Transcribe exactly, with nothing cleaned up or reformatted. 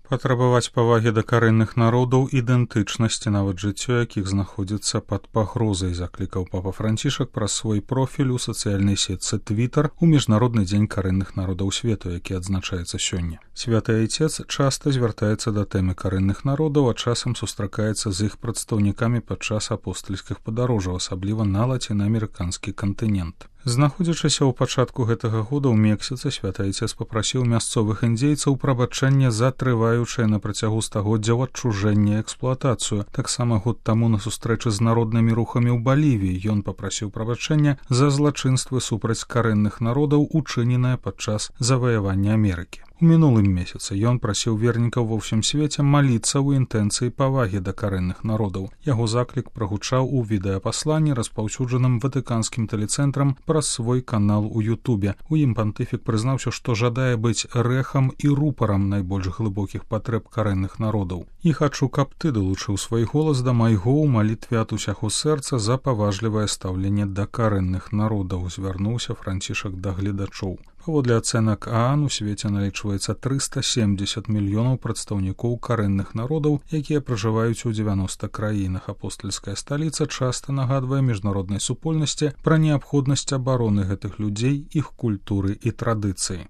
Патрабаваць павагі да карэнных народаў, ідэнтычнасці, нават жыццё якіх знаходзіцца пад пагрозай, заклікаў папа Францішак праз свой профіль у сацыяльнай сетцы Твітар у міжнародны дзень карэнных народаў свету, які адзначаецца сёння. Святы айцец часта звяртаецца да тэмы карэнных народаў, а часам сустракаецца з іх прадстаўнікамі падчас апостальскіх падарожжаў, асабліва на лацінаамерыканскі кантынент. Знаходзячыся ў пачатку гэтага года ў Мексіцы, святы айцец папрасіў мясцовых індзейцаў прабачэння за трываючае на працягу стагоддзяў адчужэнне і эксплуатацыю. Таксама год таму на сустрэчы з народнымі рухамі ў Балівіі ён папрасіў прабачэння за злачынствы супраць карэнных народаў, учыненыя падчас заваявання Амерыкі. У мінулым месяцы ён прасіў вернікаў ва ўсім свеце маліцца ў інтэнцыі павагі да карэнных народаў. Яго заклік прагучаў у відэапасланні, распаўсюджаным ватыканскім тэлецэнтрам праз свой канал у Ютубе. У ім пантыфік прызнаўся, што жадае быць рэхам і рупарам найбольш глыбокіх патрэб карэнных народаў. І хачу, каб ты далучыў свой голас да майго ў малітве ад усяго сэрца за паважлівае стаўленне да карэнных народаў, звярнуўся Францішак да гледачоў. Паводле ацэнак ААН у свеце налічваецца трыста семдзесят мільёнаў прадстаўнікоў карэнных народаў, якія пражываюць у дзевяноста краінах. Апостальская сталіца часта нагадвае міжнароднай супольнасці пра неабходнасць абароны гэтых людзей, іх культуры і традыцыі.